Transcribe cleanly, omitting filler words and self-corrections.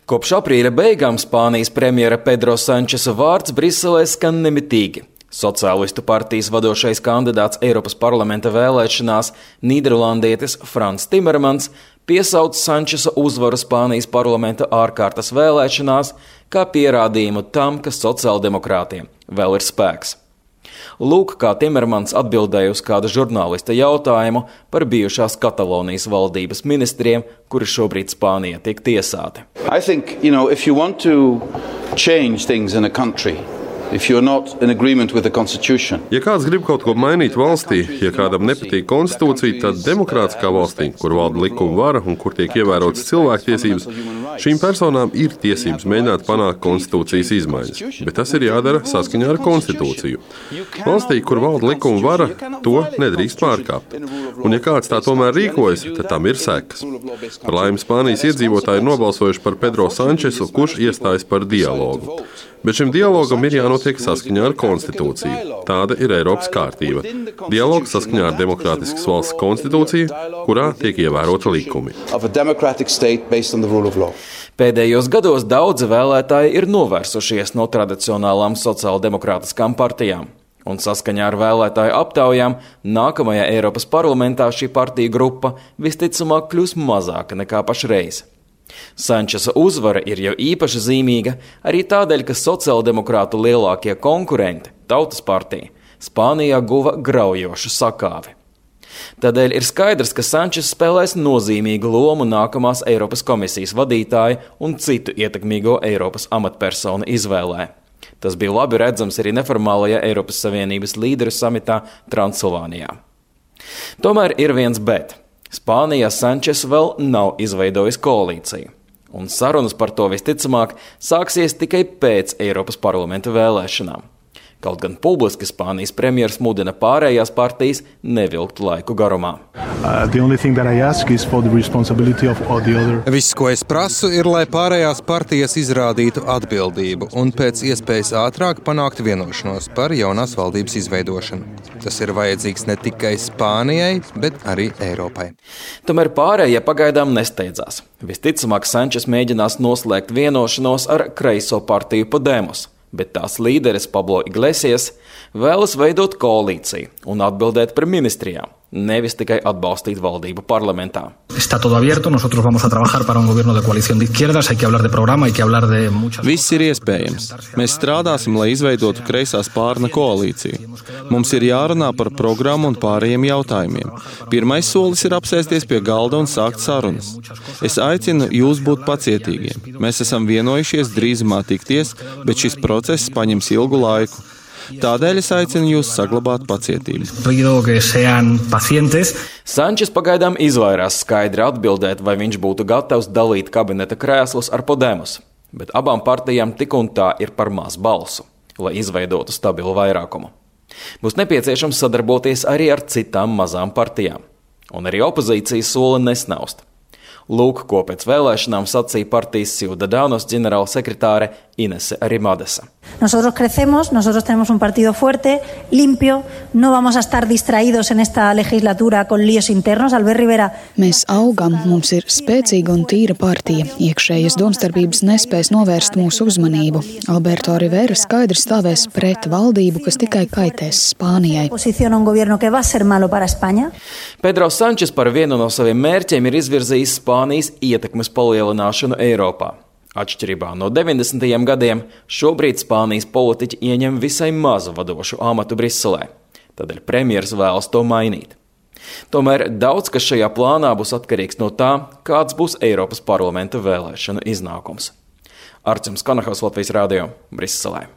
Kopš aprīļa beigām Spānijas premjera Pedro Sančesa vārds Briselē skan nemitīgi. Sociālistu partijas vadošais kandidāts Eiropas parlamenta vēlēšanās, nīderlandietis Frans Timermans, piesauc Sančesa uzvaru Spānijas parlamenta ārkārtas vēlēšanās kā pierādījumu tam, ka sociāldemokrātiem vēl ir spēks. Lūk, kā Timermans atbildēja uz kāda žurnālista jautājumu par bijušās Katalonijas valdības ministriem, kuri šobrīd Spānijā tiek tiesāti. I think, if you want to change things in a country, if you're not in agreement with the constitution. Ja kāds grib kaut ko mainīt valstī, ja kādam nepatīk konstitūcija, tad demokrātiskā valstī, kur valda likuma vara un kur tiek ievērotas cilvēktiesības, šīm personām ir tiesības mēģināt panākt konstitūcijas izmaiņas, bet tas ir jādara saskaņā ar konstitūciju. Valstī, kur valda likuma vara, to nedrīkst pārkāpt. Un ja kāds tā tomēr rīkojas, tad tam ir sekas. Par laimi Spānijas iedzīvotāji ir nobalsojuši par Pedro Sančesu, kurš iestājas par dialogu. Bet šim dialogam ir jānotiek saskaņā ar konstitūciju. Tāda ir Eiropas kārtība. Dialogs saskaņā ar demokrātiskas valsts konstitūciju, kurā tiek ievērota likumi. Pēdējos gados daudzi vēlētāji ir novērsušies no tradicionālām sociāldemokrātiskām partijām. Un saskaņā ar vēlētāju aptaujām nākamajā Eiropas parlamentā šī partija grupa visticamāk kļūs mazāka nekā pašreiz. Sančesa uzvara ir jau īpaši zīmīga arī tādēļ, ka sociāldemokrātu lielākie konkurenti, Tautas partija, Spānijā guva graujošu sakāvi. Tādēļ ir skaidrs, ka Sančes spēlēs nozīmīgu lomu nākamās Eiropas komisijas vadītāja un citu ietekmīgo Eiropas amatpersonu izvēlē. Tas bija labi redzams arī neformālajā Eiropas Savienības līderu samitā Transilvānijā. Tomēr ir viens bet. Spānijā Sančes vēl nav izveidojis koalīciju, un sarunas par to visticamāk sāksies tikai pēc Eiropas parlamenta vēlēšanām. Kaut gan publiski Spānijas premjers mudina pārējās partijas nevilkt laiku garumā. Viss, ko es prasu, ir, lai pārējās partijas izrādītu atbildību un pēc iespējas ātrāk panākt vienošanos par jaunās valdības izveidošanu. Tas ir vajadzīgs ne tikai Spānijai, bet arī Eiropai. Tomēr pārējie pagaidām nesteidzās. Visticamāk, Sančes mēģinās noslēgt vienošanos ar kreiso partiju Podemos, bet tās līderis Pablo Iglesias vēlas veidot koalīciju un atbildēt par ministrijām, nevis tikai atbalstīt valdību parlamentā. Viss ir iespējams. Mēs strādāsim, lai izveidotu kreisā spārna koalīciju. Mums ir jārunā par programmu un pārējiem jautājumiem. Pirmais solis ir apsēsties pie galda un sākt sarunas. Es aicinu jūs būt pacietīgiem. Mēs esam vienojušies drīzumā tikties, bet šis process paņems ilgu laiku. Tādēļ es aicinu jūs saglabāt pacietību. Sančes pagaidām izvairās skaidri atbildēt, vai viņš būtu gatavs dalīt kabineta krēslus ar Podemos, bet abām partijām tik un tā ir par maz balsu, lai izveidotu stabilu vairākumu. Būs nepieciešams sadarboties arī ar citām mazām partijām, un arī opozīcija sola nesnaust. Lūk, ko pēc vēlēšanām sacīja partijas Ciudadanos ģenerālsekretāre Inese Arrimadesa. Nosotros crecemos, nosotros tenemos un partido fuerte, limpio, no vamos a estar distraídos en esta legislatura con líos internos. Albert Rivera. Mēs augam, mums ir spēcīga un tīra partija. Iekšējas domstarpības nespēs novērst mūsu uzmanību. Alberto Rivera skaidri stāvēs pret valdību, kas tikai kaitēs Spānijai. Pedro Sančes par vienu no saviem mērķiem ir izvirzījis Spānijas ietekmes palielināšanu Eiropā. Atšķirībā no 90. gadiem, šobrīd Spānijas politiķi ieņem visai mazu vadošu amatu Briselē. Tādēļ premjers vēlas to mainīt. Tomēr daudz, kas šajā plānā būs atkarīgs no tā, kāds būs Eiropas parlamenta vēlēšanu iznākums. Arcims Kanahos, Latvijas radio, Briselē.